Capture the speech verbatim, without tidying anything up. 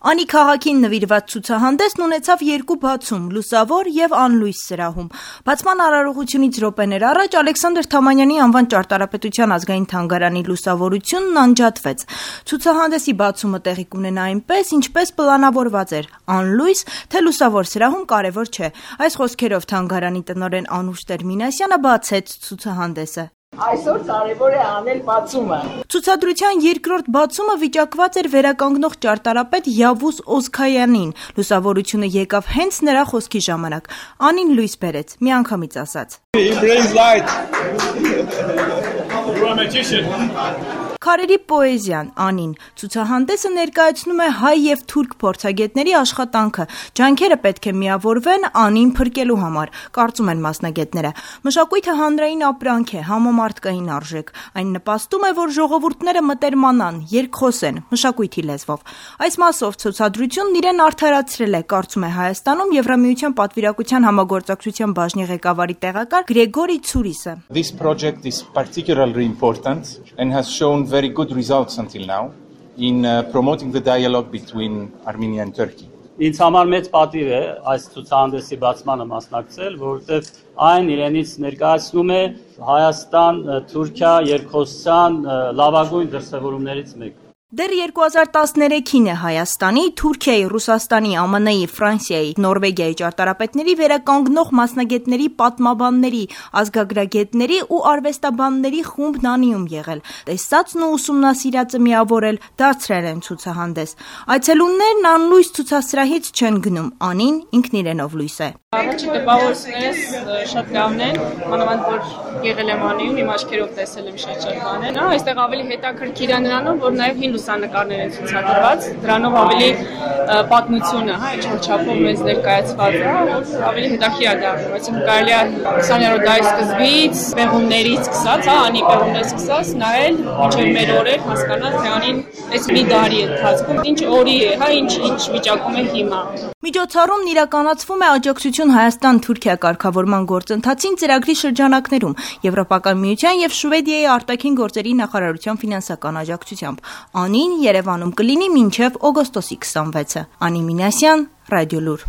Անի քաղաքին նվիրված ցուցահանդեսն ունեցավ երկու բացում՝ լուսավոր եւ անլույս սրահում։ Բացման արարողությունից րոպեներ առաջ Ալեքսանդր Թամանյանի անվան ճարտարապետության ազգային թանգարանի լուսավորությունն անջատվեց։ Ցուցահանդեսի բացումը տեղի կունենա այնպես, ինչպես պլանավորված էր՝ անլույս, թե լուսավոր սրահում կարևոր չէ։ Այս խոսքերով թանգարանի տնօրեն Անուշ Տեր-Մինասյանը բացեց ցուցահանդեսը։ Այսօր կարևոր է անել բացումը։ Ցուցադրության երկրորդ բացումը վիճակված էր վերականգնող ճարտարապետ Յավուզ Օզքայանին։ Լուսավորությունը եկավ հենց նրա խոսքի ժամանակ։ Անին լույս բերեց, միանգամից ասաց. Քարերի պոեզիան, Անին։ Ցուցահանդեսը ներկայացնում է հայ եւ թուրք փորձագետների աշխատանքը։ Ջանքերը պետք է միավորվեն Անին փրկելու համար, կարծում են մասնագետները։ Մշակույթը հանրային ապրանք է, համամարտկային արժեք։ Այն նպաստում է, որ ժողովուրդները մտերմանան, երկխոսեն, մշակույթի լեզվով։ Այս մասով ցուցադրությունն իրեն արդարացրել է, կարծում է Հայաստանում Եվրամիության պատվիրակության համագործակցության բաժնի ղեկավարի տեղակալ Գրեգորի Ցուրիսը։ This project is particularly important and has shown very good results until now in uh, promoting the dialogue between Armenia and Turkey. Ինձ համար մեծ պատիվ է այս ցուցահանդեսի բացմանը մասնակցել, որովհետև այն իրենից ներկայացնում է Հայաստան-Թուրքիա երկխոսության լավագույն դրսևորումներից մեկը։ Դեռ երկու հազար տասներեքին է Հայաստանի, Թուրքիայի, Ռուսաստանի, Α Մ Ն-ի, Ֆրանսիայի, Նորվեգիայի ճարտարապետների վերականգնող մասնագետների, պատմաբանների, ազգագրագետների ու արվեստաբանների խումբն Անիում եղել։ Տեսածն ու ուսումնասիրածը միավորել դարձրել են ցուցահանդես։ Այցելուններն անլույս ցուցասրահից չեն գնում, Անին ինքն իրենով լույս է։ Առաջի տպավորություններս շատ լավն են, մանավանդ որ եղել եմ Անիում, իմ աչքերով տեսել եմ շատ-շատ բաներ։ Այստեղ ավելի հետաքրքիր է նրանով, որ նաև հին լուսանկարներ են ցուցադրված, դրանով ավելի պատմությունը, հա, ինչ-որ չափով մեզ ներկայացված է, որ ավելի հետաքրքիր է դառնում, այսինքն կարելի է քսաներորդ դարի սկզբից, պեղումներից սկսած, հա, Անի պեղումներից սկսած, նայել մինչև մեր օրեր հասկանալ, թե Անին այս մի դարի ընթացքում ինչ օրի է, հա, ինչ ինչ վիճակում է հիմա։ Միջոցառումն իրականացվում է աջակցություն Հայաստան-Թուրքիա կարգավորման գործընթացին ծրագրի շրջանակներում Եվրոպական միության եւ Շվեդիայի արտաքին գործերի նախարարության ֆինանսական աջակցությամբ։ Անին Երևանում կլինի մինչև օգոստոսի քսանվեցը։ Անի Մինասյան, Ռադիոլուր։